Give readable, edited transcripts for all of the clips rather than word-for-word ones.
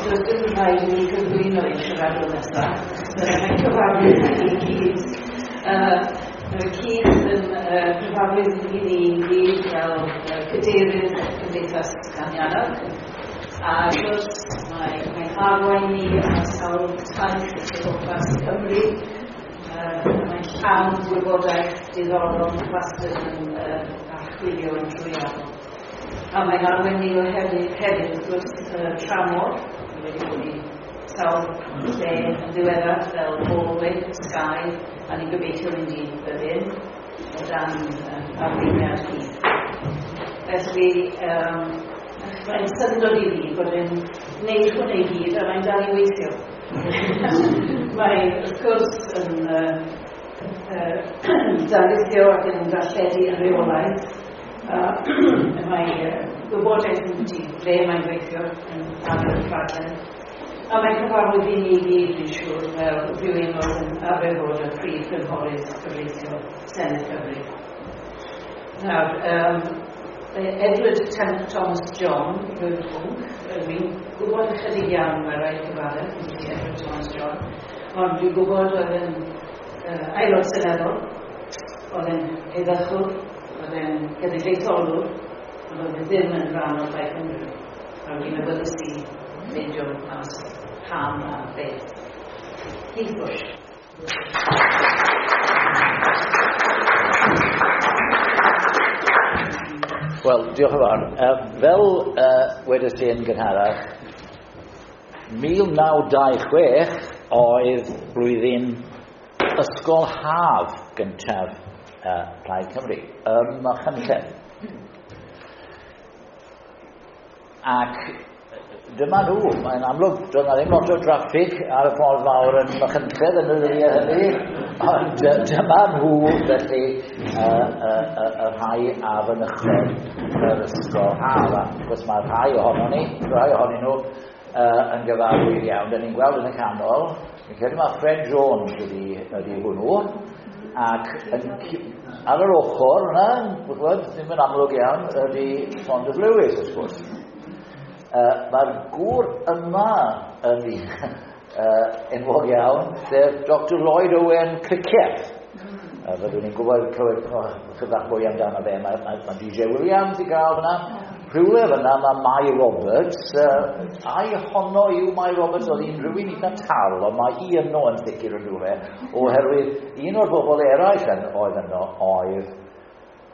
Does dim rhaid i ni gyflwyno i'n siaradwr nesaf. Mae'n cyfarwydd i ni gyd. Keith yn cyfarwydd i ni gyd fel cadeirydd Cymdeithas Llaniannog. A wrth gwrs, mae'n arwain ni ar sawl taith o gwmpas Cymru. Mae'n llawn gwybodaeth diddorol, wastad yn archwilio yn drwyadl. A mae'n arwain ni o hefyd, wrth gwrs, tramor. Ni wedi bod i sawl lle yn ddiweddar fel Galway, Skye, a ni'n gobeithio mynd i Berlin o dan arweiniad Keith. Felly, mae'n syndod i fi bod e'n gwneud hwnna i gyd a mae'n dal i weithio. Mae, wrth gwrs, yn darlithio ac yn darlledu yn rheolaidd. Mae gwybodaeth yn di ble mae'n gweithio yn ar y rhaglen. A mae'n cyfarwydd i ni gyd, dwi'n siŵr, fel rhywun oedd yn arfer bod yn prif gynghorydd cyfreithiol Senedd Cymru. Nawr, Edward Thomas John yw'r pwnc. Dwi'n gwybod ychydig iawn, mae rhaid cyfaddef, Edward Thomas John, ond dwi'n gwybod oedd yn aelod seneddol, oedd yn heddychwr, oedd yn genedlaetholwr, ond oedd e ddim yn rhan o Plaid Cymru. A dwi'n awyddus i ffeindio mas pam a beth. Keith Bush. Wel, diolch yn fawr. Fel wedes i yn gynharach, 1926 oedd blwyddyn ysgol haf gyntaf Plaid Cymru ym Machynlleth. Ac dyma nhw, mae'n amlwg, doedd 'na ddim lot o draffig ar y ffordd fawr yn Machynlleth yn y ddyddiau hynny, ond dyma nhw felly y rhai a fynychodd yr ysgol haf. A wrth gwrs mae rhai ohonon ni, rhai ohonyn nhw yn gyfarwydd iawn. Da ni'n gweld yn y canol, fi'n credu mae Fred Jones ydi hwnnw, ac ar yr ochr yna, gwybod, ddim yn amlwg iawn, ydi Saunders Lewis, wrth gwrs. Mae'r gŵr yma yn enwog iawn, sef Dr Lloyd Owen Cricieth. Fyddwn ni'n gwybod clywed chydig bach mwy amdano fe. Mae DJ Williams i gael fyna. Rhywle fyna mae Mai Roberts. Ai honno yw Mai Roberts, oedd hi'n rhywun eitha tal, ond mae hi yno yn sicr yn rhywle, oherwydd un o'r bobl eraill oedd yno oedd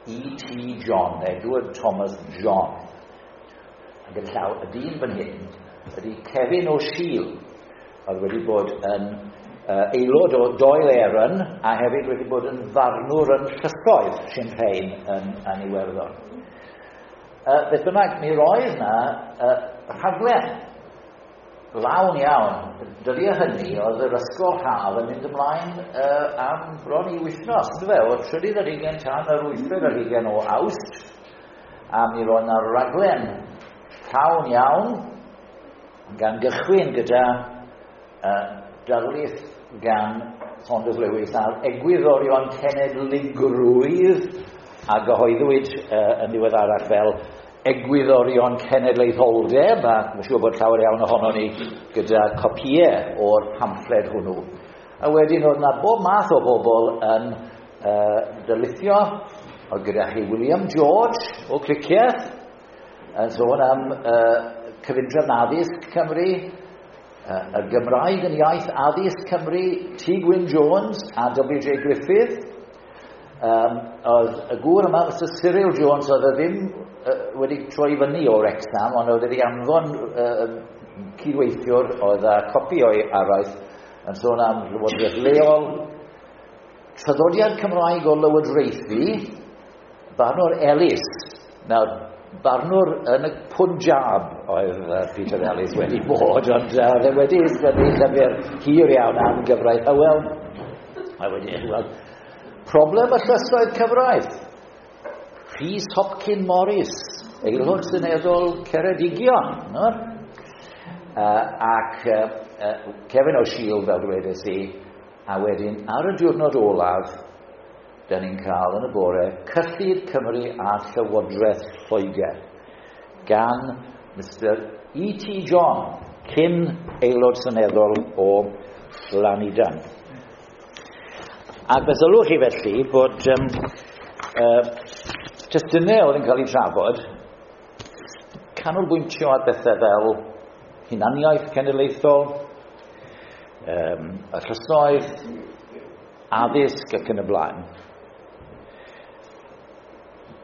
E.T. John, Edward Thomas John. Ac yn llaw, y dyn fan hyn ydy Kevin O'Shiel, oedd wedi bod yn aelod o Dáil Éireann a hefyd wedi bod yn farnwr yn llysoedd Sinn Féin yn Iwerddon. Beth bynnag, mi roedd na rhaglen lawn iawn. Dyddiau hynny oedd yr ysgol haf yn mynd ymlaen am bron i wythnos, yndyfe, o'r 23 tan yr 28 o Awst, a mi roedd na raglen llawn iawn, gan gychwyn gyda darlith gan Saunders Lewis ar egwyddorion cenedligrwydd a gyhoeddwyd yn ddiweddarach fel egwyddorion cenedlaetholdeb, a mae'n siŵr bod llawer iawn ohonon ni gyda copïau o'r pamffled hwnnw. A wedyn oedd yna bob math o bobl yn darlithio, oedd gyda chi William George o Cricieth, yn sôn am cyfundrefn addysg Cymru, y Gymraeg yn iaith addysg Cymru, T. Gwyn Jones a W.J. Griffith. Oedd y gŵr yma, Mr Cyril Jones, oedd e ddim wedi troi fyny o Wrexham, ond oedd wedi anfon cydweithiwr oedd â copi o'i araith yn sôn am lywodraeth leol, traddodiad Cymraeg o lywodraethu, Barnwr Ellis. Nawr, barnwr yn y Punjab oedd Peter Ellis wedi bod, ond oedd e wedi ysgrifennu llyfr hir iawn am gyfraith Hywel. A wedi, wel, problem y llysoedd cyfraith. Rhys Hopkin Morris, aelod seneddol Ceredigion. No? Ac Kevin O'Shiel, fel dwedes i, a wedyn ar y diwrnod olaf, da ni'n cael yn y bore Cyllid Cymru a Llywodraeth Lloegr gan Mr E.T. John, cyn aelod seneddol o Lanidan. Ac fe sylwch chi felly bod testunau oedd yn cael eu trafod canolbwyntio ar bethau fel hunaniaeth cenedlaethol, y llysoedd, addysg ac yn y blaen.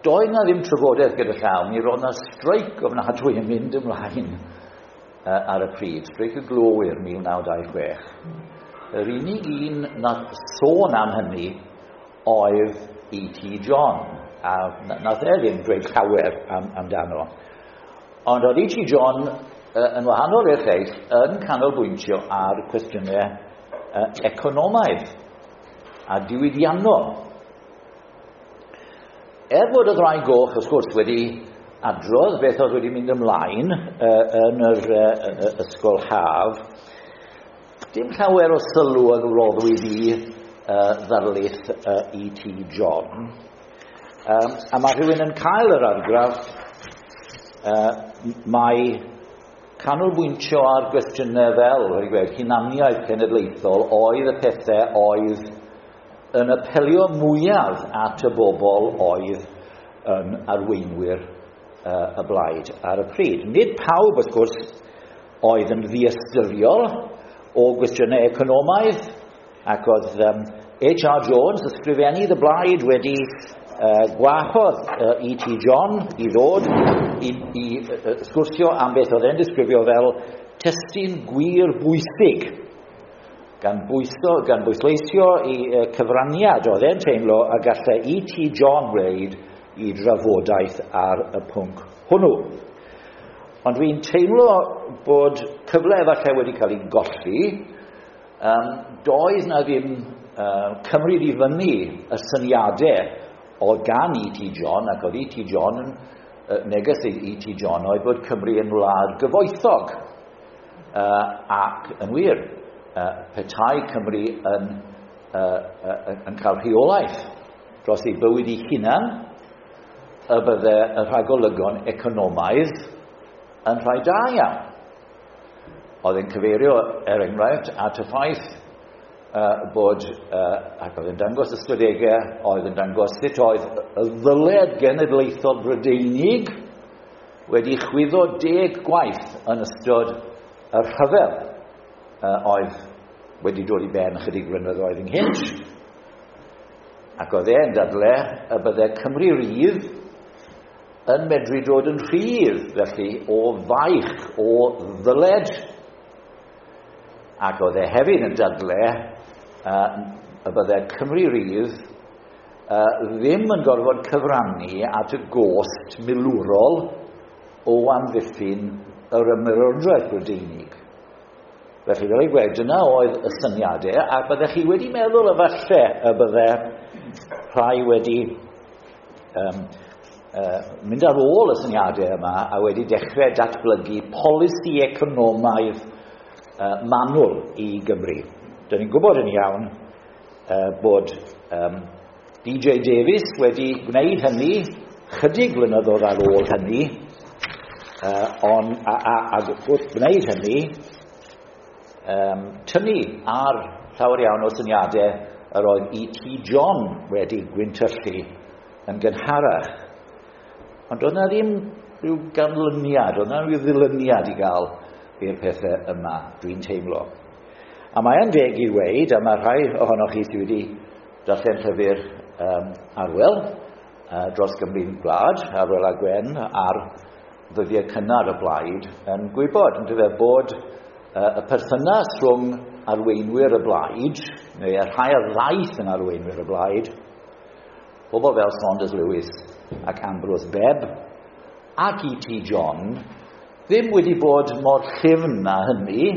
Doedd na ddim trafodaeth gyda llaw, mi roedd na streic ofnadwy yn mynd ymlaen ar y pryd, streic y glowyr 1926. Yr unig un nath sôn am hynny oedd E.T. John, a nath e ddim dweud llawer amdano. Ond oedd E.T. John yn wahanol i'r lleill yn canolbwyntio ar cwestiynau economaidd a diwydiannol. Er bod y Ddraig Goch, wrth gwrs, wedi adrodd beth oedd wedi mynd ymlaen yn yr ysgol haf, dim llawer o sylw a roddwyd i ddarlith E.T. John. A mae rhywun yn cael yr argraff mae canolbwyntio ar gwestiynau fel, wedi gweud, hunaniaeth cenedlaethol oedd y pethau oedd yn apelio mwyaf at y bobl oedd yn arweinwyr y blaid ar y pryd. Nid pawb, wrth gwrs, oedd yn ddiystyriol o gwestiynau economaidd, ac oedd H.R. Jones, ysgrifennydd y blaid, wedi gwahodd E.T. John i ddod i sgwrsio am beth oedd e'n disgrifio fel testun gwir bwysig, gan bwysleisio i cyfraniad oedd e'n teimlo a gallai E.T. John wneud i drafodaeth ar y pwnc hwnnw. Ond dwi'n teimlo bod cyfle efallai wedi cael ei golli. Doedd na ddim cymryd i fyny y syniadau oedd gan E.T. John, ac oedd E.T. John yn neges i E.T. John oedd bod Cymru yn wlad gyfoethog. Ac yn wir, petai Cymru yn cael rheolaeth dros ei bywyd ei hunan, y bydde y rhagolygon economaidd yn rhai da iawn. Oedd e'n cyfeirio, er enghraifft, at y ffaith bod, ac oedd yn dangos ystadegau, oedd yn dangos sut oedd y ddyled genedlaethol Brydeinig wedi chwyddo 10 gwaith yn ystod y rhyfel oedd wedi dod i ben ychydig flynyddoedd ynghynt. Ac oedd e'n dadle y bydde Cymru Rydd yn medru dod yn rhydd, felly, o faich, o ddyled. Ac oedd e hefyd yn dadle y bydde Cymru Rydd ddim yn gorfod cyfrannu at y gost milwrol o amddiffyn yr ymerodraeth Brydeinig. Felly, fel ei gweud, dyna oedd y syniadau, a byddech chi wedi meddwl efallai y bydde rhai wedi mynd ar ôl y syniadau yma a wedi dechrau datblygu polisi economaidd manwl i Gymru. Dyn ni'n gwybod yn iawn bod DJ Davies wedi gwneud hynny chydig blynyddoedd ar ôl hynny, a wrth gwneud hynny, tynnu ar llawer iawn o syniadau yr oedd E.T. John wedi gwyntyllu yn gynharach. Ond oedd na ddim rhyw ganlyniad, oedd na rhyw ddilyniad i gael i'r pethau yma, dwi'n teimlo. A mae yn deg i weud, a mae rhai ohonoch chi sydd wedi darllen llyfr Arwel dros Gymru'n Gwlad, Arwel a Gwen, ar ddyddiau cynnar y blaid, yn gwybod, yn dyfe, bod y perthynas rhwng arweinwyr y blaid, neu y rhai a ddaeth yn arweinwyr y blaid, pobl fel Saunders Lewis ac Ambrose Bebb ac E.T. John, ddim wedi bod mor llyfn na hynny,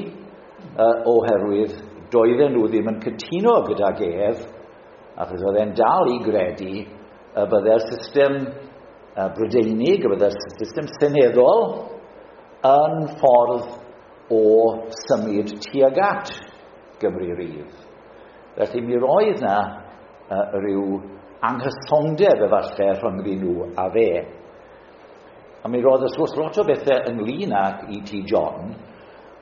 oherwydd doedden nhw ddim yn cytuno gydag ef, achos oedd e'n dal i gredu y bydde'r system Brydeinig, y bydde'r system seneddol yn ffordd o symud tuag at Gymru Rydd. Felly mi roedd na rhyw anghysondeb efallai rhyngddyn nhw a fe. A mi roedd wrth gwrs lot o bethau ynglyn ag E.T. John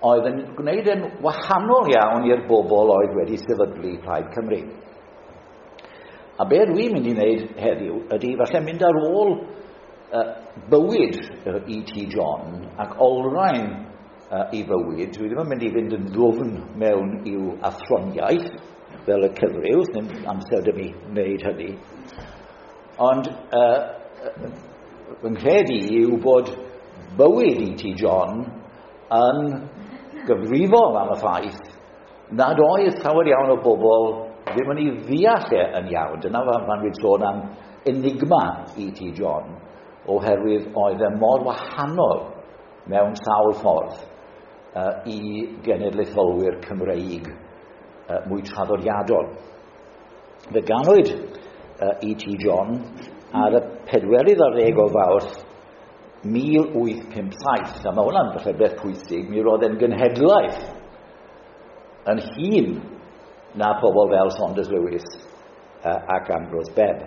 oedd yn gwneud yn wahanol iawn i'r bobl oedd wedi sefydlu Plaid Cymru. A be dwi'n mynd i wneud heddiw ydy falle mynd ar ôl bywyd E.T. John ac olrhain ei fywyd. Dwi ddim yn mynd i fynd yn ddwfn mewn i'w athroniaeth fel y cyfryw, ddim amser 'da mi wneud hynny. Ond fy nghred i yw bod bywyd E.T. John yn gyfrifol am y ffaith nad oedd llawer iawn o bobl ddim yn ei ddeall e yn iawn. Dyna pan dwi'n sôn am enigma E.T. John, oherwydd oedd e mor wahanol mewn sawl ffordd i genedlaetholwyr Cymreig mwy traddodiadol. Fe ganwyd E.T. John ar y 24 o Fawrth 1857, a mae hwnna'n falle beth pwysig, mi roedd e'n genhedlaeth yn hŷn na pobl fel Saunders Lewis ac Ambrose Bebb.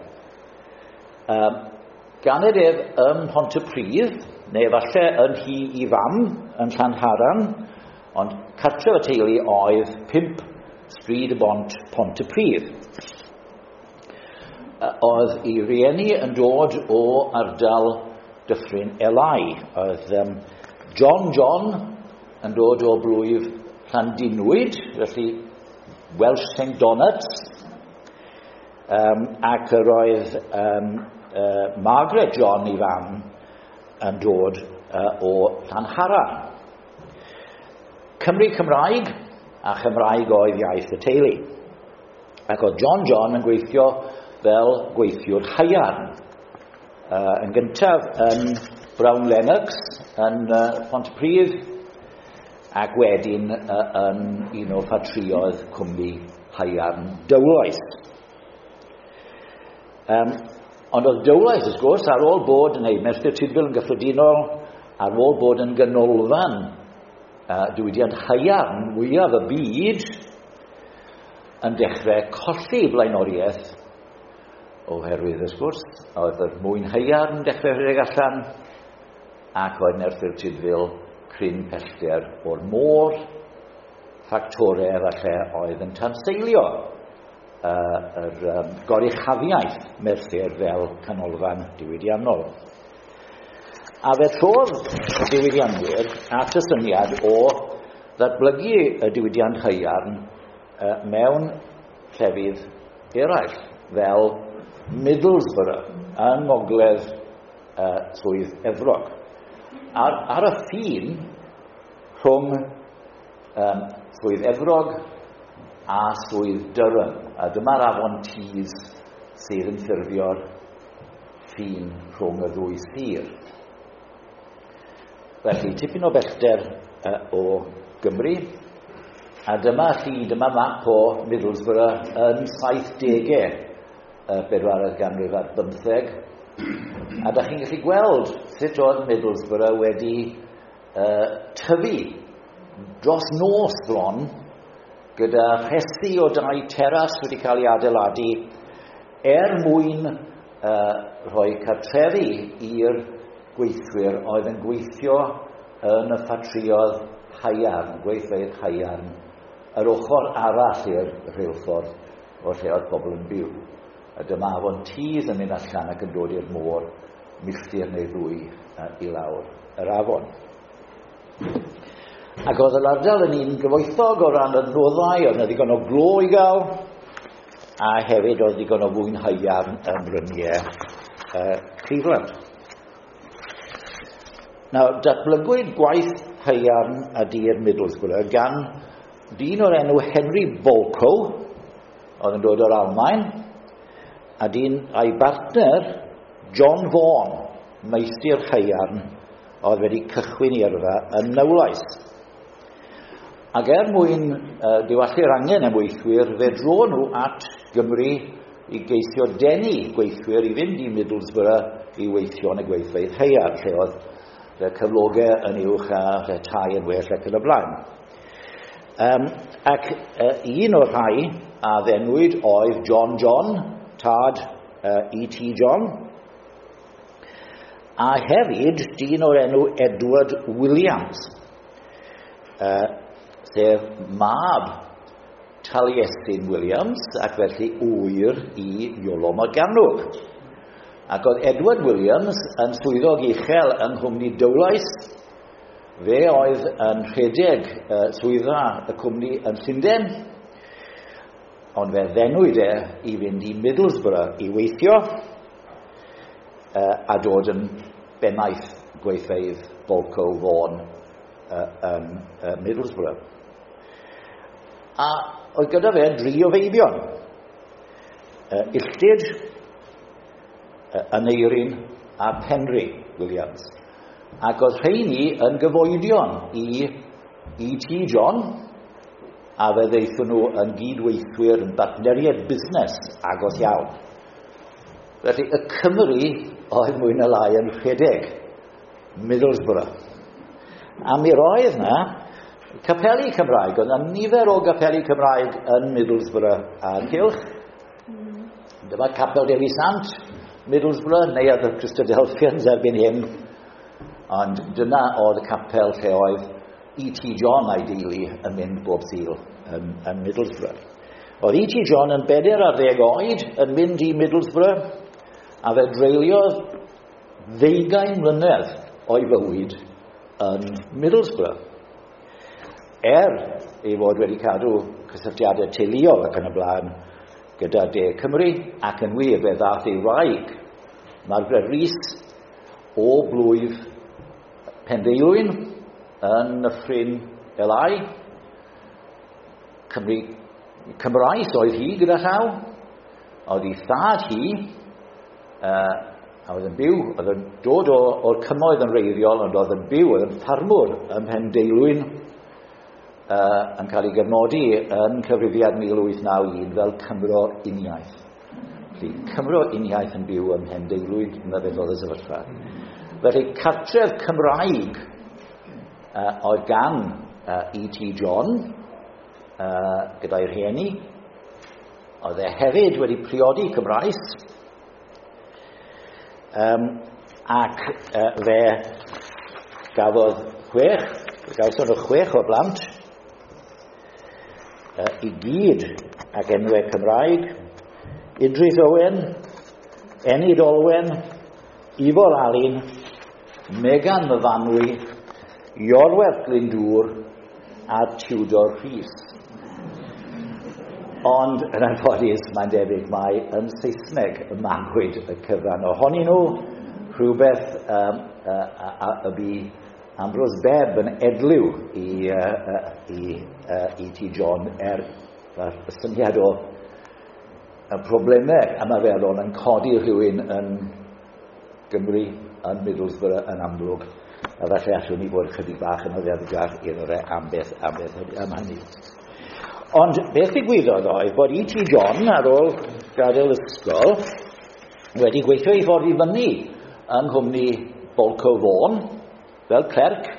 Ganed ef ym Mhontypridd, neu falle yn nhŷ ei fam yn Llanharan, ond cartref y teulu oedd 5 Stryd y Bont, Pontypridd. Oedd ei rieni yn dod o ardal Dyffryn Elai. Oedd John John yn dod o blwyf Llandinwyd, felly Welsh St Donats, ac yr oedd Margaret John ei fam yn dod o Llanharan. Cymru Cymraeg, a Chymraeg oedd iaith y teulu. Ac oedd John John yn gweithio fel gweithiwr haearn. Yn gyntaf yn Brown Lennox yn Pontypridd, ac wedyn yn un o ffatrïoedd cwmni haearn Dowlais. Ond oedd Dowlais, wrth gwrs, ar ôl bod, neu Merthyr Tudful yn gyffredinol, ar ôl bod yn ganolfan diwydiant haearn mwyaf y byd, yn dechrau colli blaenoriaeth oherwydd, wrth gwrs, oedd yr mwyn haearn yn dechrau rhedeg allan, ac oedd Merthyr Tudful cryn pellter o'r môr, ffactorau falle oedd yn tanseilio yr goruchafiaeth Merthyr fel canolfan diwydiannol. A fe trodd y diwydianwyr at y syniad o ddatblygu y diwydiant haearn mewn llefydd eraill, fel Middlesbrough yng ngogledd Swydd Efrog. Ar y ffin rhwng Swydd Efrog a Swydd Durham. A dyma'r afon Tees sydd yn ffurfio'r ffin rhwng y ddwy sir. Felly, tipyn o bellter o Gymru. A dyma chi, dyma map o Middlesbrough yn 70au y bedwaredd ganrif ar bymtheg. A da chi'n gallu gweld sut oedd Middlesbrough wedi tyfu dros nos bron, gyda rhesi o dai teras wedi cael ei adeiladu er mwyn rhoi cartrefi i'r gweithwyr oedd yn gweithio yn y ffatrïoedd haearn, gweithfeydd haearn, yr ochr arall i'r rheilffordd o lle oedd pobl yn byw. A dyma afon Tees yn mynd allan ac yn dod i'r môr milltir neu ddwy i lawr yr afon. Ac oedd yr ardal yn un gyfoethog o ran adnoddau, oedd yna ddigon o glo i gael, a hefyd oedd ddigon o fwyn haearn ym mryniau Cleveland. Nawr, datblygwyd gwaith haearn a dur Middlesbrough gan dyn o'r enw Henry Bolckow, oedd yn dod o'r Almaen, a dyn a'i bartner John Vaughan, meistr haearn, oedd wedi cychwyn ei yrfa yn Nowlais. Ac er mwyn diwallu'r angen am weithwyr, fe dro nhw at Gymru i geisio denu gweithwyr i fynd i Middlesbrough i weithio yn y gweithfeydd haearn, lle oedd y cyflogau yn uwch a lle tai yn well ac yn y blaen. Ac un o'r rhai a ddenwyd oedd John John, tad E.T. John, a hefyd dyn o'r enw Edward Williams. sef mab Taliesin Williams, ac felly ŵyr i Iolo Morgannwg. Ac oedd Edward Williams yn swyddog uchel yng nghwmni Dowlais. Fe oedd yn rhedeg swyddfa y cwmni yn Llundain, ond fe ddenwyd e i fynd i Middlesbrough i weithio a dod yn bennaeth gweithfeydd Bolco Vaughan yn Middlesbrough. A oedd gyda fe dri o feibion. Illtyd, Aneirin a Penri Williams. Ac oedd rheini yn gyfoedion i E.T. John, a fe ddeithon nhw yn gydweithwyr yn bartneriaid busnes agos iawn. Felly y Cymry oedd mwy na lai yn rhedeg Middlesbrough. A mi roedd na capeli Cymraeg, oedd na nifer o gapeli Cymraeg yn Middlesbrough a'r cylch. Dyma Capel Dewi Sant, Middlesbrough, neuadd y Christadelphians erbyn hyn. Ond dyna oedd y capel lle oedd E.T. John a'i deulu yn mynd bob Sul yn Middlesbrough. Oedd E.T. John yn 40 oed yn mynd i Middlesbrough, a fe dreuliodd 20 mlynedd o'i fywyd yn Middlesbrough. Er ei fod wedi cadw cysylltiadau teuluol ac yn y blaen gyda De Cymru, ac yn wir fe ddath ei wraig, Margaret Rees, o blwyf Pendeilwyn yn Nyffryn Elai. Cymru, Cymraes oedd hi gyda llaw. Oedd ei thad hi, a oedd yn byw, oedd yn dod o'r cymoedd yn wreiddiol, ond oedd yn byw, oedd yn ffarmwr ym Mhendeilwyn, yn cael ei gofnodi yn cyfrifiad 1891 fel Cymro Uniaith. Felly, Cymro Uniaith yn byw ym Mhendeilwyn, dyna beth oedd y sefyllfa. Felly, cartref Cymraeg oedd gan E.T. John gyda'i rhieni. Oedd e hefyd wedi priodi Cymraes. Ac fe gafodd gawson nhw 6 o blant, i gyd ac enwau Cymraeg: Idris Owen, Enid Olwen, Ifor Alun, Megan Myfanwy, Iorwerth Glyndŵr a Tudor Rhys. Ond yn anffodus, mae'n debyg mai yn Saesneg y magwyd y cyfan ohonyn nhw, rhywbeth y bu Ambrose Bebb yn edliw i E.T. John er y syniad o y problemau ymarferol yn codi rhywun yn Gymru, yn Middlesbrough yn amlwg, a falle allwn ni fod chydig bach yn oddefgar iddo fe am beth am hynny. Ond beth ddigwyddodd oedd bod E.T. John, ar ôl gadael ysgol, wedi gweithio ei ffordd i fyny yng nghwmni Bolco Vaughan, fel clerc,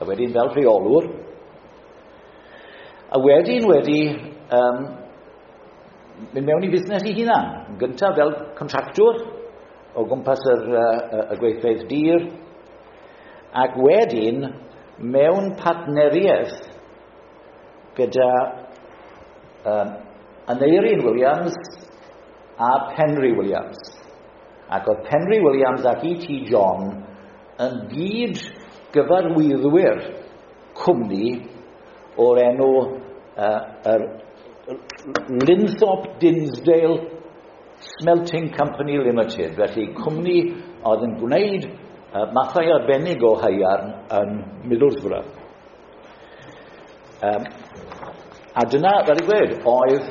a wedyn fel rheolwr, a wedyn wedi mynd mewn i fusnes ei hunan, yn gyntaf fel contractwr o gwmpas y gweithfeydd dir, ac wedyn mewn partneriaeth gyda Aneirin Williams a Penri Williams. Ac oedd Penri Williams ac E.T. John yn gyd gyfarwyddwyr cwmni o'r enw yr Linthorpe Dinsdale Smelting Company Limited, felly cwmni oedd yn gwneud mathau arbennig o haearn yn Middlesbrough. A dyna, fel i gweud, oedd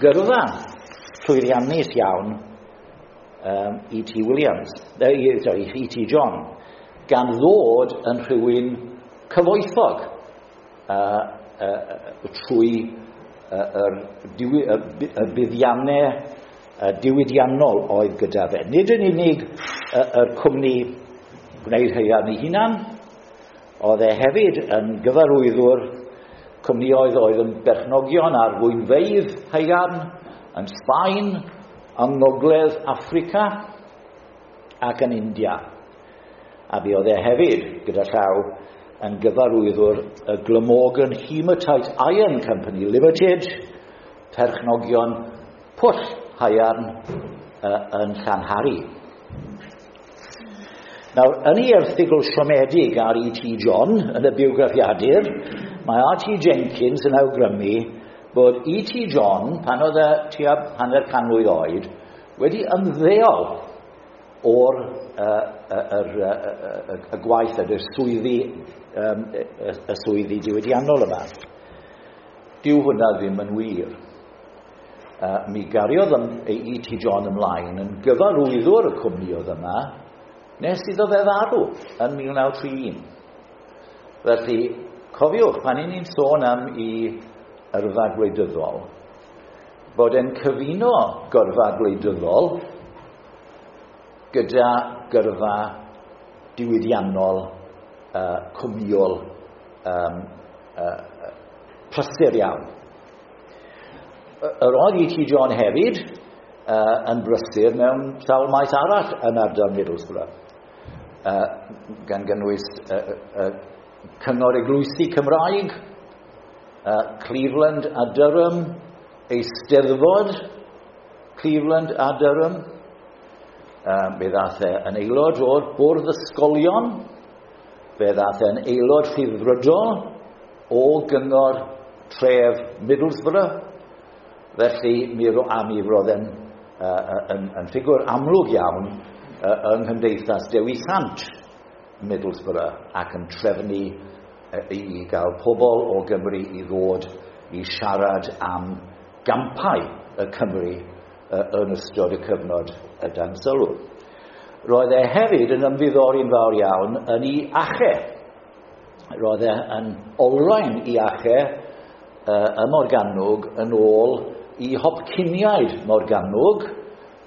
gyrfa llwyddiannus iawn E.T. Williams, E.T. John, gan ddod yn rhywun cyfoethog trwy y buddiannau diwydiannol oedd gyda fe. Nid yn unig yr cwmni gwneud haearn ei hunan, oedd e hefyd yn gyfarwyddwr cwmnioedd oedd yn berchnogion ar fwynfeydd haearn yn Sbaen, yng Ngogledd Affrica ac yn India. A bu oedd e hefyd, gyda llaw, yn gyfarwyddwr y Glamorgan Hematite Iron Company Limited, perchnogion pwll haearn yn Llanhari. Nawr, yn ei erthygl siomedig ar E.T. John yn y bywgraffiadur, mae R.T. Jenkins yn awgrymu bod E.T. John, pan oedd e tua hanner can mlwydd oed, wedi ymddeol o'r y gwaith ydy'r swyddi, y swyddi diwydiannol yma. Dyw hwnna ddim yn wir. Mi gariodd E.T. John ymlaen yn gyfarwyddwr y cwmni oedd yma nes iddo fe farw yn 1931. Felly, cofiwch, pan 'y ni'n sôn am ei yrfa gwleidyddol, bod e'n cyfuno gyrfa gwleidyddol gyda gyrfa diwydiannol, cwmniol, prysur iawn. Yr oedd E.T. John hefyd yn brysur mewn sawl maes arall yn ardal Middlesbrough, gan gynnwys Cyngor Eglwysi Cymraeg, Cleveland a Durham, Eisteddfod Cleveland a Durham. Fe ddath e yn aelod o'r Bwrdd Ysgolion, fe ddath e'n aelod rhyddfrydol o Gyngor Tref Middlesbrough, felly mi roedd e'n yn ffigwr amlwg iawn yng Nghymdeithas Dewi Sant Middlesbrough ac yn trefnu i gael pobl o Gymru i ddod i siarad am gampau y Cymru yn ystod y cyfnod y dan sylw. Roedd e hefyd yn ymddiddori'n fawr iawn yn ei ache. Roedd e yn olrhain ei ache ym Morgannwg yn ôl i Hopkiniaid Morgannwg,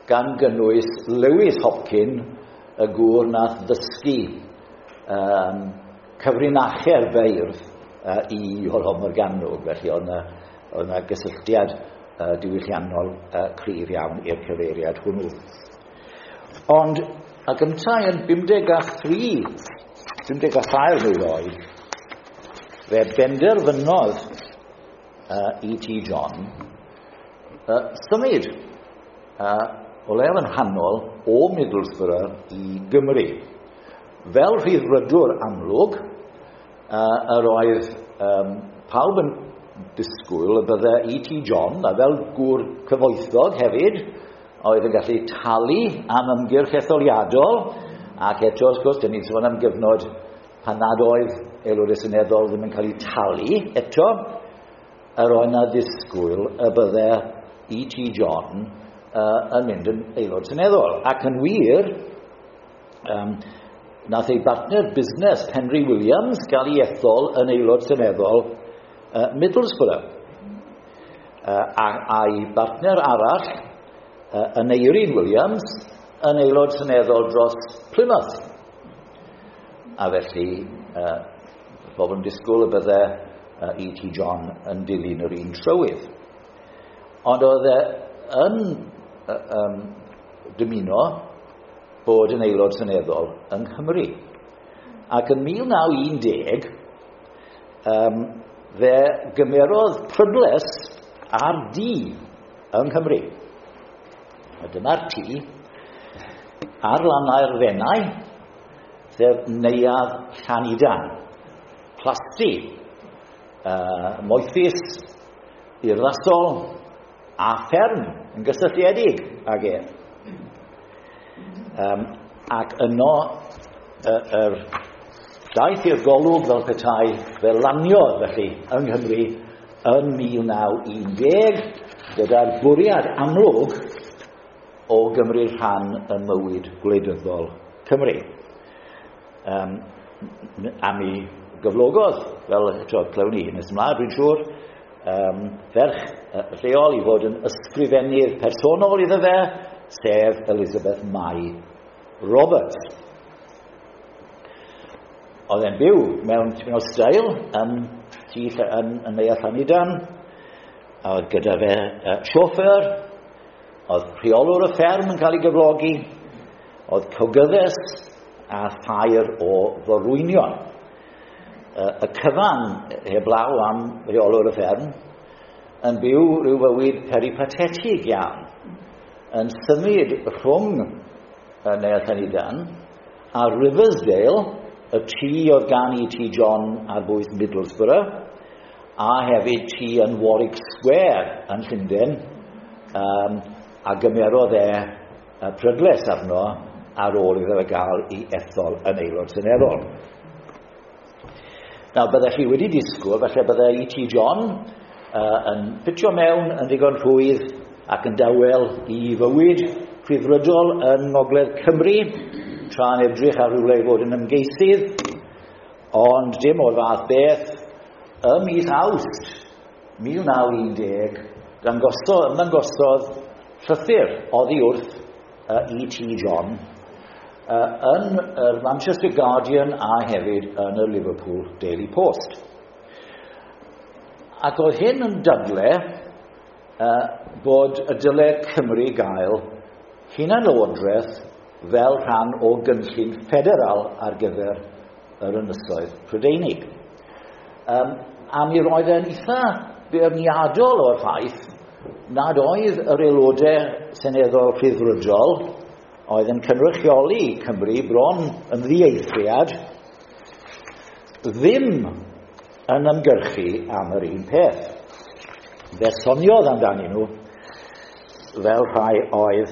gan gynnwys Lewis Hopkin, y gŵr nath ddysgu cyfrinache'r beirdd i Iolo Morgannwg. Felly oedd yna gysylltiad diwylliannol cryf iawn i'r cyfeiriad hwnnw. Ond ac yntau yn 53, 54 mlwydd oed, fe benderfynodd E.T. John symud o leiaf yn rhannol o Middlesbrough i Gymru. Fel rhyddfrydwr amlwg, yr oedd pawb yn disgwyl y bydde E.T. John, a fel gŵr cyfoethog hefyd, oedd yn gallu talu am ymgyrch etholiadol, ac eto, wrth gwrs, dyn ni'n sôn am gyfnod pan nad oedd aelodau seneddol ddim yn cael eu talu eto, yr oedd yna ddisgwyl y bydde E.T. John yn mynd yn aelod seneddol. Ac yn wir, nath ei bartner busnes Henry Williams gael ei ethol yn aelod seneddol Middlesbrough. A'i bartner arall, Aneurin Williams, yn aelod seneddol dros Plymouth. A felly, pobl yn disgwyl y bydde E.T. John yn dilyn yr un trywydd. Ond oedd e yn dymuno bod yn aelod seneddol yng Nghymru. Ac yn 1910, fe gymerodd prydles ar dŷ yng Nghymru. A dyma'r tŷ ar lannau'r Fenai, sef Neuadd Llanidan, plasty, moethus, urddasol a fferm yn gysylltiedig ag e. Ac yno yr daeth i'r golwg fel petai, fe laniodd felly yng Nghymru yn 1910 gyda'r bwriad amlwg o gymryd rhan ym mywyd gwleidyddol Cymru. A mi gyflogodd, fel eto clywn ni nes ymlaen, dwi'n siŵr, ferch lleol i fod yn ysgrifennydd personol iddo fe, sef Elizabeth Mai Roberts. Oedd e'n byw mewn tipyn o steil yn yn Neuadd Llanidan, a oedd gyda fe chauffeur, oedd rheolwr y fferm yn cael ei gyflogi, oedd cogyddes a thair o forwynion. Y cyfan heblaw am reolwr y fferm yn byw rhyw fywyd peripatetig iawn, yn symud rhwng y Neuadd Llanidan a Riversdale, y tŷ oedd gan E.T. John ar bwys Middlesbrough, a hefyd tŷ yn Warwick Square yn Llundain, a gymerodd e prydles arno ar ôl iddo fe gael ei ethol yn aelod seneddol. Nawr, byddech chi wedi disgwyl, falle bydde E.T. John yn ffitio mewn yn ddigon rhwydd ac yn dawel i fywyd rhyddfrydol yn Ngogledd Cymru, tra'n edrych ar rhywle i fod yn ymgeisydd, ond dim o'r fath beth. Ym mis Awst 1910, ymddangosodd llythyr oddi wrth E.T. John yn y Manchester Guardian a hefyd yn y Liverpool Daily Post. Ac oedd hyn yn dadle bod y dyle Cymru gael hunanlywodraeth fel rhan o gynllun ffederal ar gyfer yr Ynysoedd Prydeinig. A mi roedd e'n eitha beirniadol o'r ffaith nad oedd yr aelodau seneddol rhyddfrydol oedd yn cynrychioli Cymru bron yn ddieithriad ddim yn ymgyrchu am yr un peth. Fe soniodd amdanyn nhw fel rhai oedd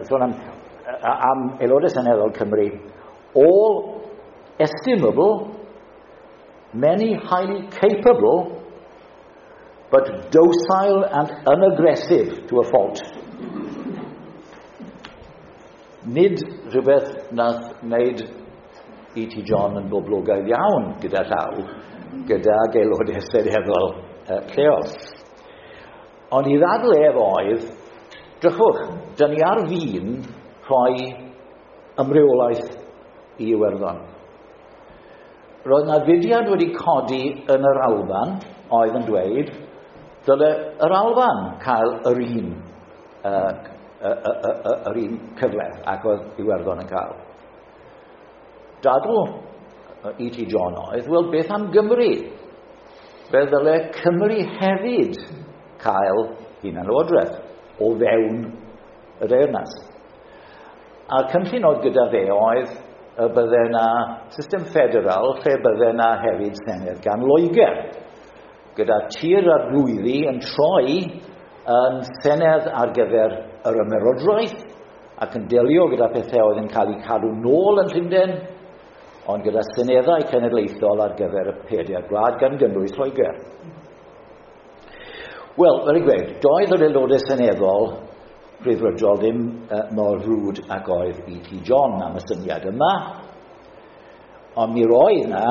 sôn am aelodau seneddol Cymru, all estimable, many highly capable, but docile and unaggressive to a fault. Nid rhywbeth nath wneud E.T. John yn boblogaidd iawn gyda llaw, gyda aelodau seneddol lleol. Ond i ddadl ef oedd, drychwch, dyn ni ar fin rhoi ymreolaeth i Iwerddon. Roedd na fudiad wedi codi yn yr Alban oedd yn dweud dyle yr Alban cael yr un yr un cyfle ac oedd Iwerddon yn cael. Dadl E.T. John oedd, wel, beth am Gymru? Fe ddyle Cymru hefyd cael hunanlywodraeth o fewn y deyrnas. A'r cynllun oedd gyda fe oedd y bydde na system ffederal lle bydde na hefyd senedd gan Loegr, gyda tir arglwyddi yn troi yn senedd ar gyfer yr ymerodraeth ac yn delio gyda pethau oedd yn cael eu cadw nôl yn Llundain, ond gyda seneddau cenedlaethol ar gyfer y pedair gwlad gan gynnwys Lloegr. Wel, fel i gweud, doedd yr aelodau seneddol rhyddfrydol ddim mor frwd ac oedd E.T. John am y syniad yma, ond mi roedd na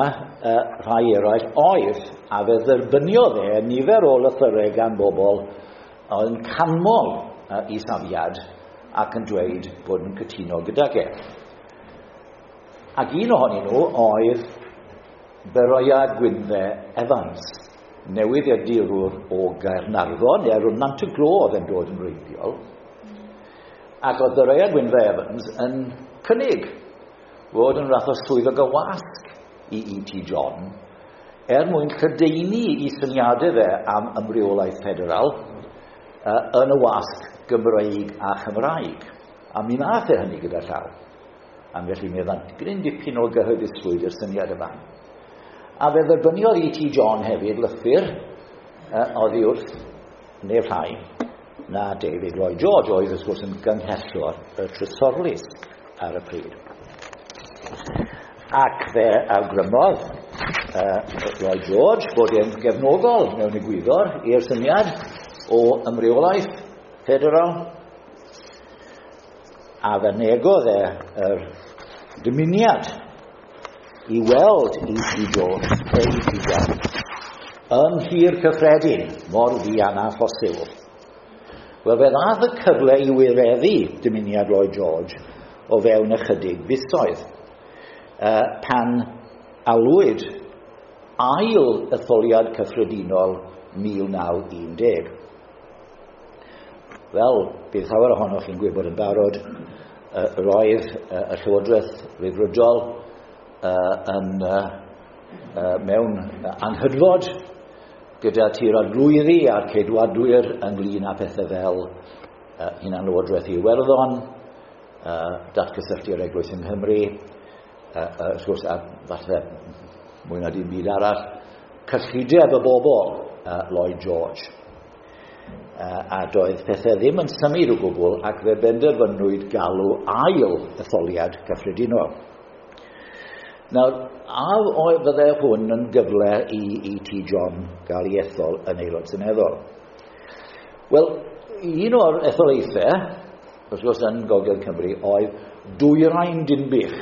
rhai eraill oedd, a fe dderbyniodd e nifer o lythyrau gan bobl oedd yn canmol i safiad ac yn dweud bod yn cytuno gydag e. Ac un ohonyn nhw oedd Beroia Gwynfe Evans, newyddiadurwr o Gaernarfon, neu rhwng Nant y Glo oedd e'n dod yn wreiddiol. Ac oedd Beroia Gwynfe Evans yn cynnig fod yn fath o swyddog y wasg i E.T. John er mwyn lledaenu i syniadau fe am ymreolaeth ffederal yn y wasg Gymreig a Chymraeg. A mi nath e hynny gyda llaw. A felly mi oedd gryn dipyn o gyhoeddusrwydd i'r syniad yma. A fe dderbyniodd E.T. John hefyd lythyr oddi wrth neb llai na David Lloyd George, oedd wrth gwrs yn gynghellwr y Trysorlys ar y pryd. Ac fe awgrymodd Lloyd George bod e'n gefnogol mewn egwyddor i'r syniad o ymreolaeth ffederal, a fe negodd e yr dymuniad i weld E.T. Jones, E.T. John, yn Nhŷ'r Cyffredin, mor fuan â phosibl. Wel, fe ddath y cyfle i wireddu dymuniad Lloyd George o fewn ychydig fisoedd, pan alwyd ail etholiad cyffredinol 1910. Wel, bydd llawer ohonoch chi'n gwybod yn barod, roedd y Llywodraeth Ryddfrydol mewn anghydfod gyda Tŷ'r Arglwyddi a'r Ceidwadwyr ynglyn â pethau fel hunanlywodraeth i Iwerddon, datgysylltu'r Eglwys yng Nghymru, wrth gwrs, a falle mwy na dim byd arall, cyllideb y bobl, Lloyd George. A doedd pethau ddim yn symud o gwbl, ac fe benderfynwyd galw ail etholiad cyffredinol. Nawr, a fydde hwn yn gyfle i E.T. John gael ei ethol yn aelod seneddol? Wel, un o'r etholaethau, wrth gwrs yn Gogledd Cymru, oedd Dwyrain Dinbych,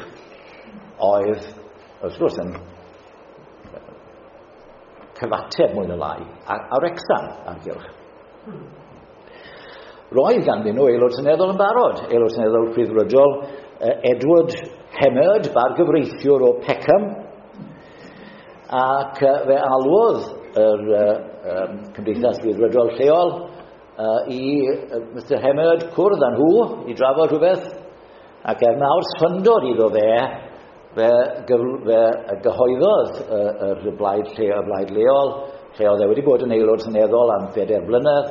oedd, wrth gwrs, yn cyfateb mwy na lai, a Wrecsam ar gylch. Roedd ganddyn nhw aelod seneddol yn barod, aelod seneddol Rhyddfrydol, Edward Hemmerd, bargyfreithiwr o Peckham, ac fe alwodd yr Cymdeithas Rhyddfrydol lleol i Mr Hemmerd cwrdd â nhw i drafod rhywbeth, ac er mawr syndod iddo fe, fe gyhoeddodd yr blaid leol, lle oedd e wedi bod yn aelod seneddol am 4 blynedd,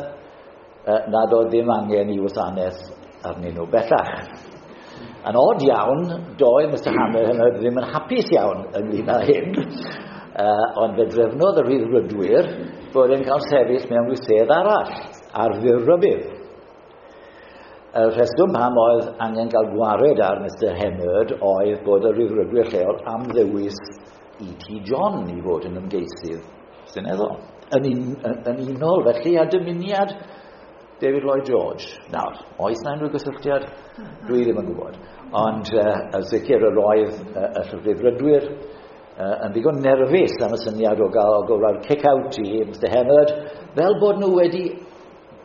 nad oedd ddim angen i wasanaeth arnyn nhw bellach. Yn od iawn, doedd Mr Hemmerd ddim yn hapus iawn ynglyn â hyn, ond fe drefnodd y Rhyddfrydwyr bod e'n cael sefyll mewn rhyw sedd arall ar fyr rybudd. Y rheswm pam oedd angen cael gwared ar Mr Hemmerd oedd bod y Rhyddfrydwyr lleol am ddewis E.T. John i fod yn ymgeisydd seneddol. Yn unol felly â dymuniad David Lloyd George. Nawr, oes na unrhyw gysylltiad? Dwi ddim yn gwybod. Ond yn sicr yr oedd y Rhyddfrydwyr yn ddigon nerfus am y syniad o gael gofra'r kick-out i Mr Hemmerd, fel bod nhw wedi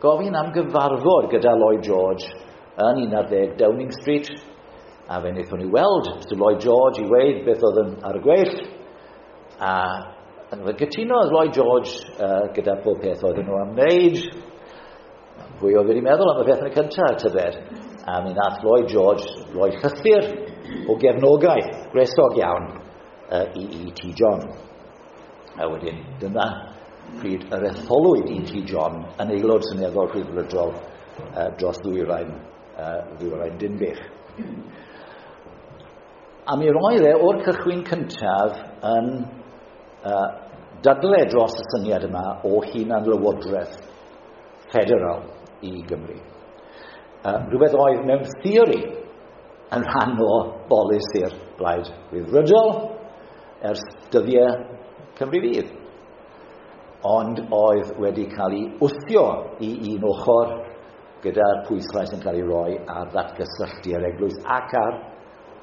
gofyn am gyfarfod gyda Lloyd George yn 11 Downing Street, a fe wnaethon ni weld Mr Lloyd George i weud beth oedd yn ar y gweill, a fe gytunodd Lloyd George gyda pob peth oedden nhw am wneud. Pwy oedd wedi meddwl am y peth yn y cyntaf, tybed? A mi nath Lloyd George roi llythyr o gefnogaeth gwresog iawn i E.T. John. A wedyn, dyna pryd yr etholwyd E.T. John yn aelod seneddol Rhyddfrydol dros ddwyrain Dinbych. A mi roedd e o'r cychwyn cyntaf yn dadle dros y syniad yma o hunanlywodraeth federal i Gymru. Rhywbeth oedd mewn theori yn rhan o bolisi'r Blaid Rhyddfrydol ers dyddiau Cymru Fydd, ond oedd wedi cael ei wthio i un ochr gyda'r pwyslais yn cael ei roi ar ddatgysylltu yr eglwys ac ar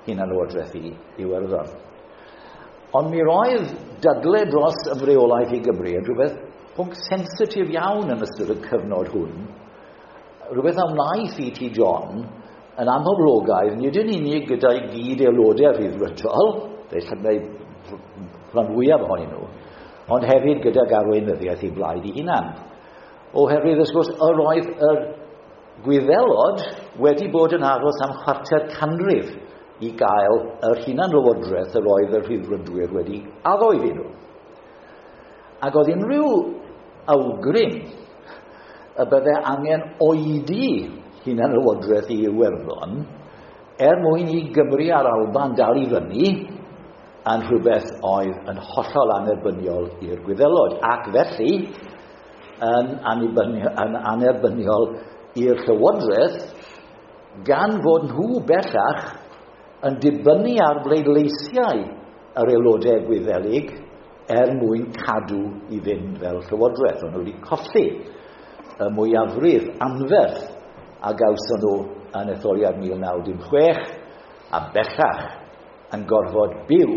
hunanlywodraeth i Iwerddon. Ond mi roedd dadle dros ymreolaeth i Gymru yn rhywbeth pwnc sensitif iawn yn ystod y cyfnod hwn, rhywbeth a wnaeth E.T. John yn amhoblogaidd, nid yn unig gyda'i gyd aelodau Rhyddfrydol, felly rhan fwyaf ohonyn nhw, ond hefyd gydag arweinyddiaeth ei blaid ei hunan. Oherwydd, wrth gwrs, yr oedd yr Gwyddelod wedi bod yn aros am 25 canrif i gael yr hunanlywodraeth yr oedd y Rhyddfrydwyr wedi addo iddyn nhw. Ac oedd unrhyw awgrym y bydde angen oedi hunanlywodraeth i Iwerddon er mwyn i Gymru a'r Alban dal i fyny yn rhywbeth oedd yn hollol annerbyniol i'r Gwyddelod, ac felly yn annerbyniol i'r Llywodraeth, gan fod nhw bellach yn dibynnu ar bleidleisiau yr aelodau Gwyddelig er mwyn cadw i fynd fel Llywodraeth. O'n nhw wedi colli y mwyafrif anferth a gawson nhw yn etholiad 1916, a bellach yn gorfod byw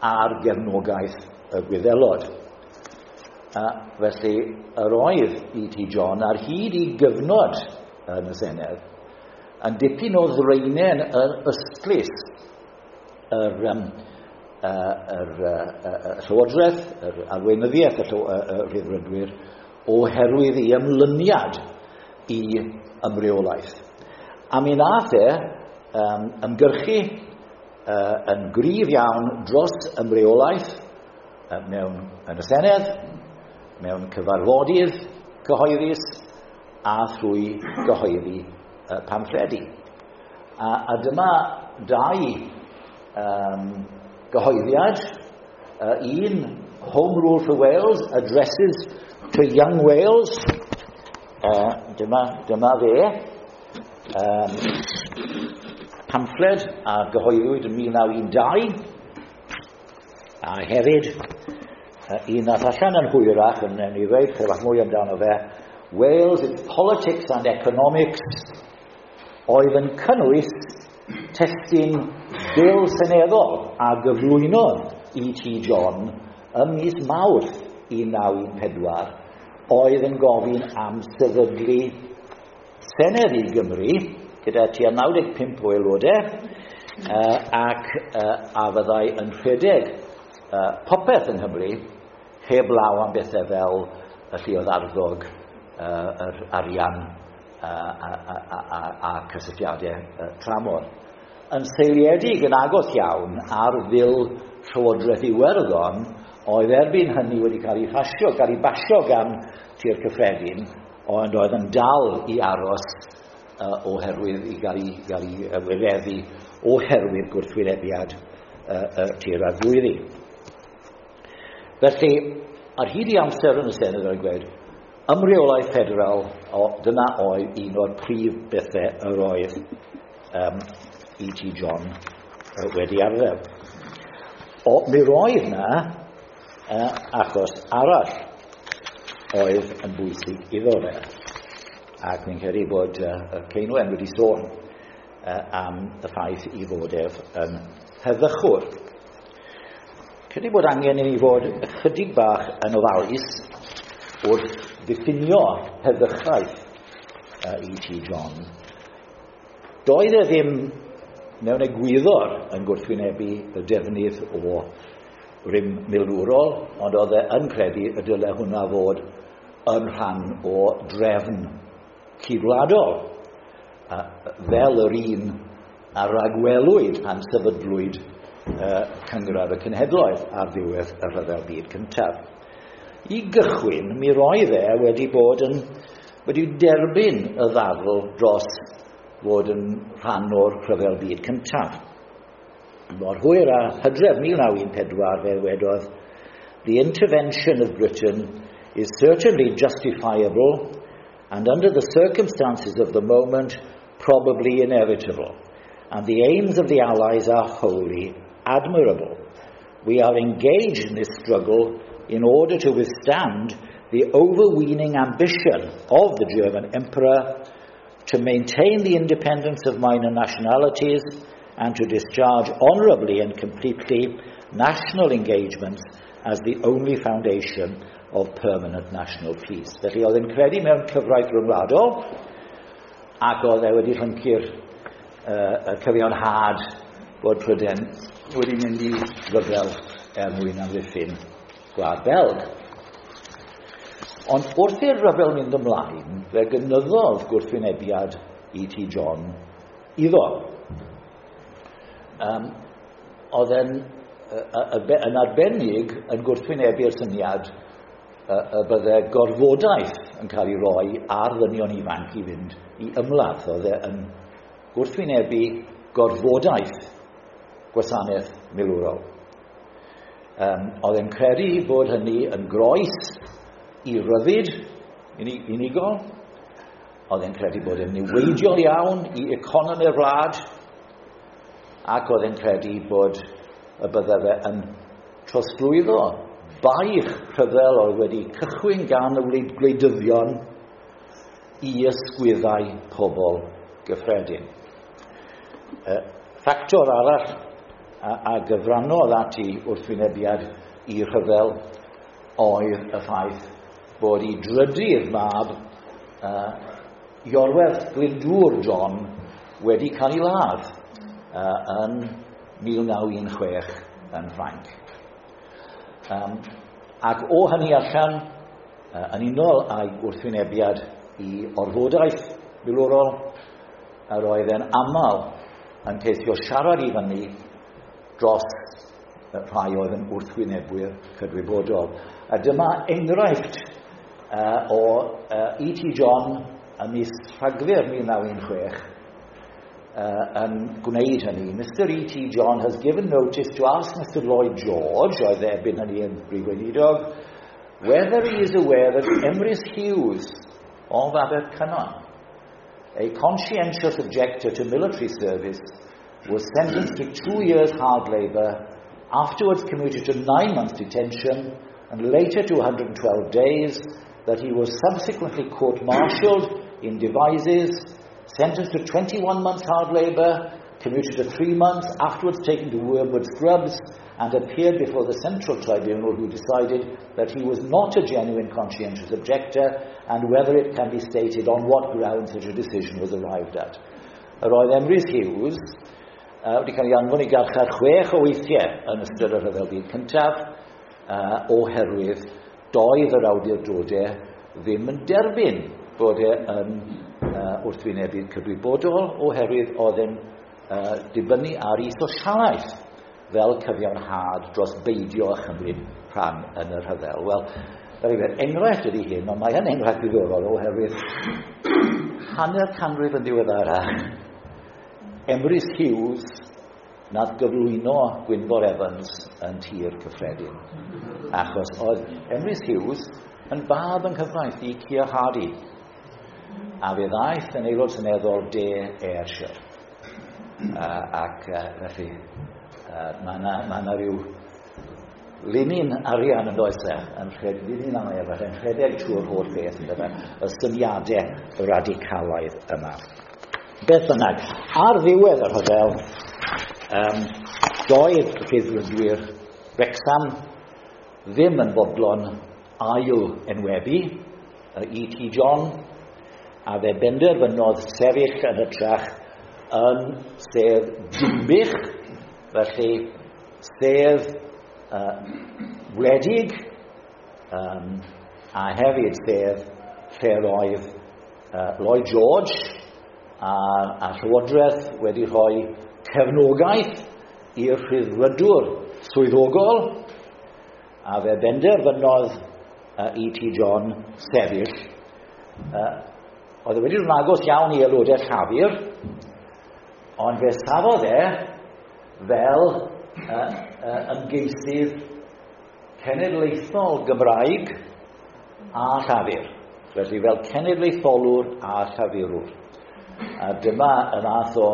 ar gefnogaeth y Gwyddelod. Felly, yr oedd E.T. John ar hyd i gyfnod yn y Senedd yn dipyn o ddraenen yr ystlys yr Llywodraeth, yr arweinyddiaeth y Rhyddfrydwyr, oherwydd ei ymlyniad i ymreolaeth. A mi nath e ymgyrchu yn gryf iawn dros ymreolaeth mewn yn y Senedd, mewn cyfarfodydd cyhoeddus a thrwy gyhoeddi pamffledi. A dyma dau gyhoeddiad. Un, Home Rule for Wales, Addresses to Young Wales. Dyma fe. Pamffled a gyhoeddwyd yn 1912. A hefyd, un nath allan yn hwyrach, yn ni ddweud chydig mwy amdano fe, Wales, Its Politics and Economics, oedd yn cynnwys testun Bil Seneddol a gyflwynodd E.T. John ym mis Mawrth 1914, oedd yn gofyn am sefydlu Senedd i Gymru, gyda tua 95 o aelodau, ac a fyddai yn rhedeg popeth yng Nghymru, heb law am bethau fel y lluoedd arfog, yr arian a cysylltiadau tramor. Yn seiliedig yn agos iawn ar Fil Llywodraeth Iwerddon, oedd erbyn hynny wedi cael ei phasio, cael ei basio gan Tŷ'r Cyffredin, ond oedd yn dal i aros oherwydd i gael ei wireddu oherwydd gwrthwynebiad Tŷ'r Arglwyddi. Felly, ar hyd i amser yn y Senedd oedd gweud, ymreolaeth ffederal, dyna oedd un o'r prif bethau yr oedd E.T. John wedi arfer. Mi roedd na achos arall oedd yn bwysig iddo fe. Ac fi'n credu bod Ceinwen wedi sôn am y ffaith i fod ef yn heddychwr. Credu bod angen i ni fod ychydig bach yn ofalus wrth ddiffinio heddychaeth E.T. John. Doedd e ddim mewn egwyddor yn gwrthwynebu y defnydd o rym milwrol, ond oedd e yn credu y dyle hwnna fod yn rhan o drefn cydwladol, fel yr un a ragwelwyd pan sefydlwyd Cynghrair y Cenhedloedd ar ddiwedd y Rhyfel Byd Cyntaf. I gychwyn, mi roedd e wedi bod yn wedi derbyn y ddadl dros fod yn rhan o'r Rhyfel Byd Cyntaf. Mor hwyr a Hydref 1914 fe wedodd, "The intervention of Britain is certainly justifiable and under the circumstances of the moment probably inevitable, and the aims of the Allies are wholly admirable. We are engaged in this struggle in order to withstand the overweening ambition of the German Emperor, to maintain the independence of minor nationalities, and to discharge honourably and completely national engagements as the only foundation of permanent national peace." Felly oedd e'n credu mewn cyfraith rhyngwladol, ac oedd e wedi llyncu'r y cyfiawnhad bod Prydain wedi mynd i ryfel er mwyn amddiffyn Gwlad Belg. Ond wrth i'r rhyfel mynd ymlaen, fe gynyddodd gwrthwynebiad E.T. John iddo. Oedd e'n yn arbennig yn gwrthwynebu'r syniad y bydde gorfodaeth yn cael ei roi ar ddynion ifanc i fynd i ymladd. Oedd e yn gwrthwynebu gorfodaeth gwasanaeth milwrol. Oedd e'n credu bod hynny yn groes i ryddid unigol. Oedd e'n credu bod e'n niweidiol iawn i economi'r wlad, ac oedd e'n credu bod y bydde fe yn trosglwyddo baich rhyfel oedd wedi cychwyn gan y gwleidyddion i ysgwyddau pobl gyffredin. Ffactor arall a gyfrannodd at ei wrthwynebiad i rhyfel oedd y ffaith bod ei drydydd mab, Iorwerth Glyndŵr John, wedi cael ei ladd yn 1916 yn Ffrainc. Ac o hynny allan, yn unol â'i wrthwynebiad i orfodaeth milwrol, yr oedd e'n aml yn ceisio siarad i fyny dros rhai oedd yn wrthwynebwyr cydwybodol. A dyma enghraifft o E.T. John ym mis Rhagfyr 1916 yn gwneud hynny. Mr E.T. John has given notice to ask Mr Lloyd George, oedd erbyn hynny yn Brif Weinidog, whether he is aware that Emrys Hughes of Abercynon, a conscientious objector to military service, was sentenced to 2 years hard labour, afterwards commuted to 9 months detention, and later to 112 days, that he was subsequently court-martialed in Devizes, sentenced to 21 months hard labour, commuted to 3 months, afterwards taken to Wormwood Scrubs, and appeared before the Central Tribunal, who decided that he was not a genuine conscientious objector, and whether it can be stated on what grounds such a decision was arrived at. Yr oedd Emrys Hughes wedi cael ei anfon i garchar 6 o weithiau yn ystod y Rhyfel Byd Cyntaf, oherwydd doedd yr awdurdodau ddim yn derbyn bod e yn wrthwynebu cydwybodol, oherwydd oedd e'n dibynnu ar ei sosialaeth fel cyfiawnhad dros beidio a chymryd rhan yn y rhyfel. Wel, enghraifft ydy hyn, ond mae yn enghraifft ddiddorol oherwydd hanner canrif yn ddiweddarach, Emrys Hughes nath gyflwyno Gwynfor Evans yn Tir Cyffredin. Achos oedd Emrys Hughes yn fab yng nghyfraith i Keir Hardie, a fe ddaeth yn aelod seneddol De Ayrshire. Ac felly, mae yna rhyw linyn arian yn does e, yn linyn aer, yn rhedeg trwy'r holl beth, yn dyfa, y syniadau radicalaidd yma. Beth bynnag, ar ddiwedd y rhyfel, doedd Rhyddfrydwyr Wrecsam ddim yn fodlon ail enwebu E.T. John, a fe benderfynodd sefyll yn hytrach yn sedd Dinbych, felly sedd wledig, a hefyd sedd lle roedd Lloyd George a Llywodraeth wedi rhoi cefnogaeth i'r Rhyddfrydwr swyddogol, a fe benderfynodd E.T. John sefyll. Oedd e wedi dod yn agos iawn i aelodau Llafur, ond fe safodd e fel ymgeisydd cenedlaethol Gymraeg a Llafur. Felly fel cenedlaetholwr a Llafurwr. A dyma y math o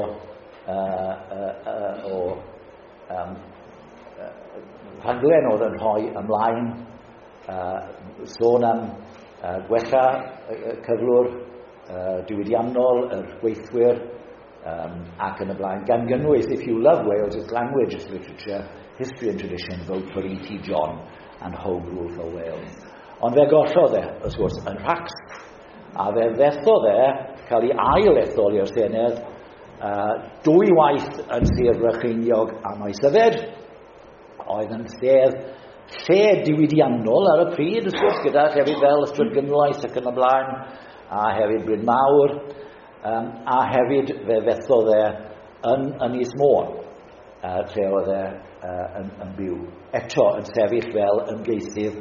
rhaglen oedd yn rhoi ymlaen, sôn am gwella cyflwr diwydiannol, yr gweithwyr, ac yn y blaen, gan gynnwys, if you love Wales, its language, its literature, history and tradition, vote for E.T. John and Home Rule for Wales. Ond fe gollodd e, wrth gwrs, yn rhacs, a fe fethodd e cael ei ail ethol i'r Senedd 2 waith yn Sir Brycheiniog a Maesyfed, oedd yn sedd lle diwydiannol ar y pryd, wrth gwrs, gyda llefydd fel Ystrad Gynlais ac yn y blaen, a hefyd Bryn Mawr, a hefyd fe fethodd e yn Ynys Môn, lle oedd e yn byw. Eto yn sefyll fel ymgeisydd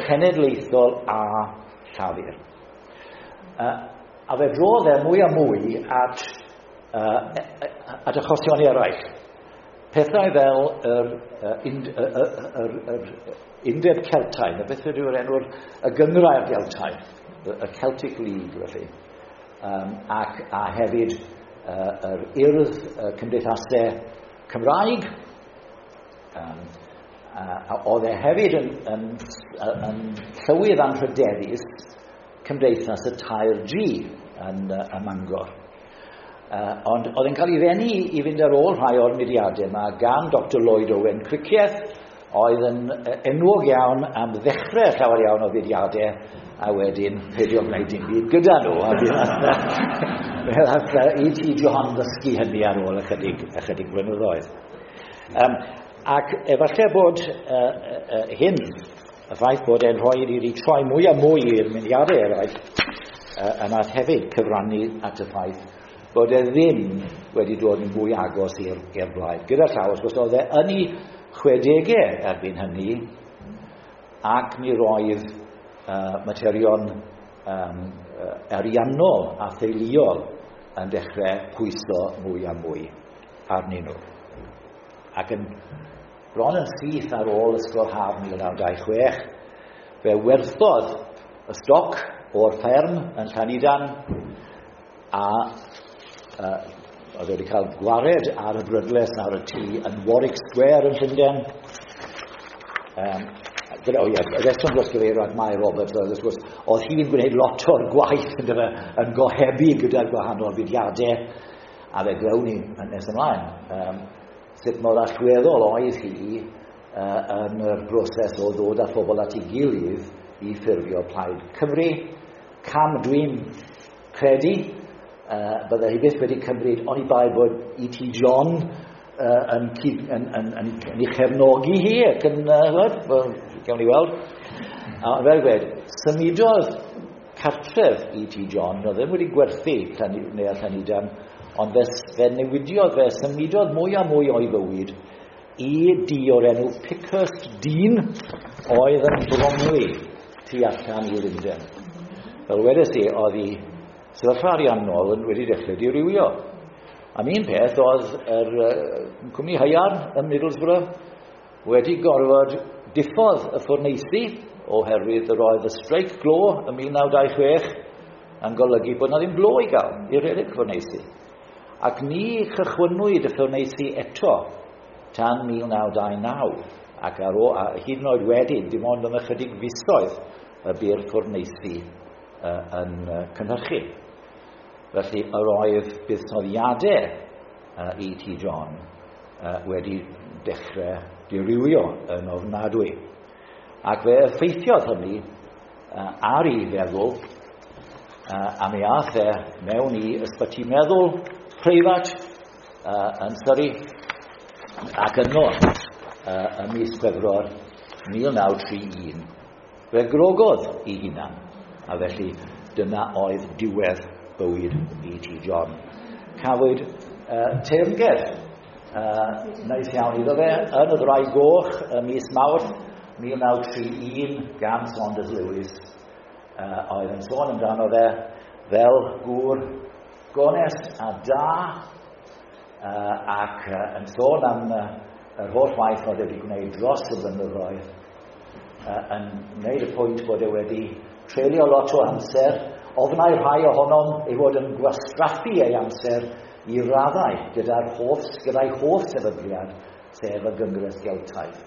cenedlaethol a Llafur. A fe drodd e mwy a mwy at achosion eraill. Pethau fel yr Undeb Celtaidd, beth yw'r enw'r y Gynghrair Geltaidd, y Celtic League felly, ac a hefyd yr Urdd Cymdeithasau Cymraeg. A oedd e hefyd yn llywydd anrhydeddus Cymdeithas y 3G yn Mangor. Ond oedd e'n cael ei ddenu i fynd ar ôl rhai o'r mudiadau yma gan Dr Lloyd Owen Cricieth, oedd yn enwog iawn am ddechrau llawer iawn o fudiadau a wedyn peidio gwneud dim byd gyda nhw. A fe ddaeth E.T. John ddysgu hynny ar ôl ychydig blynyddoedd. Ac efallai bod hyn, y ffaith bod e'n rhoi i troi mwy a mwy i'r mudiadau eraill, yna hefyd cyfrannu at y ffaith bod e ddim wedi dod yn fwy agos i'r blaid. Gyda llaw, wrth gwrs, oedd e yn ei 60au erbyn hynny, ac mi roedd materion ariannol a theuluol yn dechrau pwyso mwy a mwy arnyn nhw. Ac yn bron yn syth ar ôl ysgol haf 1926, fe werthodd y stoc o'r fferm yn Llanidan, a oedd wedi cael gwared ar y brydles ar y tŷ yn Warwick Square yn Llundain. Y rheswm dros gyfeirio at Mai Roberts oedd, wrth gwrs, oedd hi'n gwneud lot o'r gwaith yn gohebu gyda'r gwahanol fudiadau, a fe glywn ni yn nes ymlaen sut mor allweddol oedd hi yn yr broses o ddod â phobl at ei gilydd i ffurfio Plaid Cymru. Cam dwi'n credu bydde hi byth wedi cymryd oni bai bod E.T. John yn ei chefnogi hi ac yn, gawn ni weld. A fel gweud, symudodd cartref E.T. John, oedd ddim wedi gwerthu neu Llanidan, ond fe newidiodd, fe symudodd mwy a mwy o'i fywyd i dŷ o'r enw Pickhurst Dean, oedd yn Bromley tu allan i Lundain. Fel wedes i, oedd hi sefyllfa ariannol yn wedi dechrau dirywio. Am un peth, oedd yr cwmni haearn ym Middlesbrough wedi gorfod diffodd y ffwrneisi oherwydd yr oedd y streic glo ym 1926 yn golygu bod na ddim glo i gael i redeg ffwrneisi. Ac ni chychwynnwyd y ffwrneisi eto tan 1929, ac ar ôl, a hyd yn oed wedyn, dim ond am ychydig fisoedd y bu'r ffwrneisi yn cynhyrchu. Felly yr oedd buddsoddiadau E.T. John wedi dechrau dirywio yn ofnadwy. Ac fe effeithiodd hynny ar ei feddwl, a mi aeth e mewn i ysbyty meddwl preifat yn Surrey, ac yno ym mis Chwefror 1931 fe grogodd ei hunan, a felly dyna oedd diwedd bywyd E.T. John. Cafwyd teyrnged neis iawn iddo fe yn y Ddraig Goch ym mis Mawrth 1931 gan Saunders Lewis, oedd yn sôn amdano fe fel gŵr gonest a da, ac yn sôn am yr holl waith oedd wedi gwneud dros y blynyddoedd, yn gwneud y pwynt bod e wedi treulio lot o amser, ofnai rhai ohonom ei fod yn gwastraffu ei amser i raddau gyda'i hoff sefydliad, sef y Gyngres Geltaidd.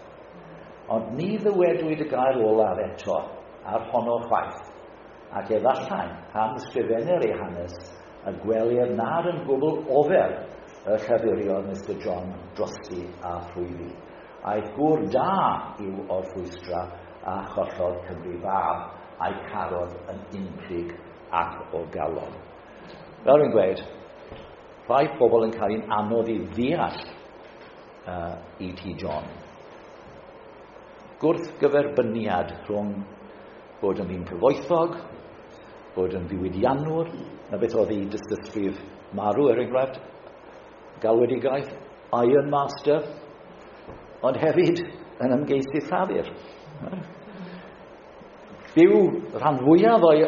Ond ni ddywedwyd y gair olaf eto ar honno chwaith, ac efallai pan ysgrifennir ei hanes y gwelir nad yn gwbl ofer y llafuriodd Mr John drosti a thrwyddi. Aeth gŵr da i'w orffwystra a chollodd Cymru fab, a'i carodd yn unplyg ac o galon. Fel rwy'n gweud, rhai pobl yn cael un anodd i ddeall E.T. John. Gwrthgyferbyniad rhwng bod yn ddyn cyfoethog, bod yn ddiwydiannwr, na beth oedd ei dystysgrif marw er enghraifft, galwedigaeth, Iron Master, ond hefyd yn ymgeisydd Llafur. Byw rhan fwyaf o'i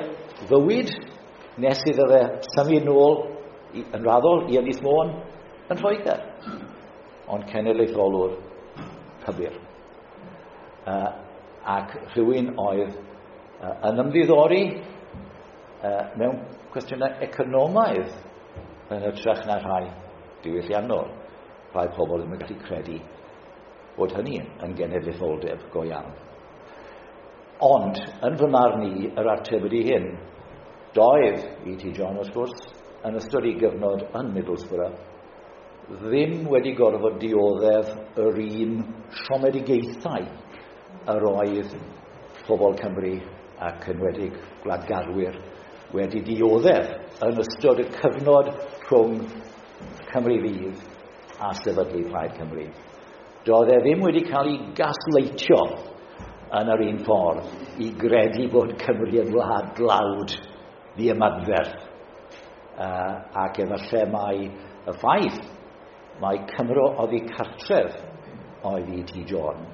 fywyd nes iddo fe symud nôl yn raddol i Ynys Môn yn Lloegr, ond cenedlaetholwr pybyr. Ac rhywun oedd yn ymddiddori mewn cwestiynau economaidd yn hytrach na rhai diwylliannol. Rhai pobl ddim yn gallu credu bod hynny yn genedlaetholdeb go iawn. Ond, yn fy marn i, yr ateb ydy hyn. Doedd E.T. John, wrth gwrs, yn ystod ei gyfnod yn Middlesbrough, ddim wedi gorfod dioddef yr un siomedigaethau yr oedd pobl Cymru ac enwedig gwladgarwyr wedi dioddef yn ystod y cyfnod rhwng Cymru Fydd a sefydlu Plaid Cymru. Doedd e ddim wedi cael ei gasleitio yn yr un ffordd i gredu bod Cymru yn wlad dlawd ddiymadferth. Ac efallai mai y ffaith mai Cymro oddi cartref oedd E.T. John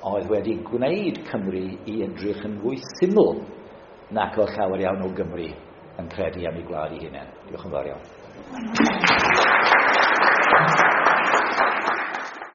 oedd wedi gwneud Cymru i edrych yn fwy syml nac oedd llawer iawn o Gymru yn credu am ei gwlad ei hunain. Diolch yn fawr iawn.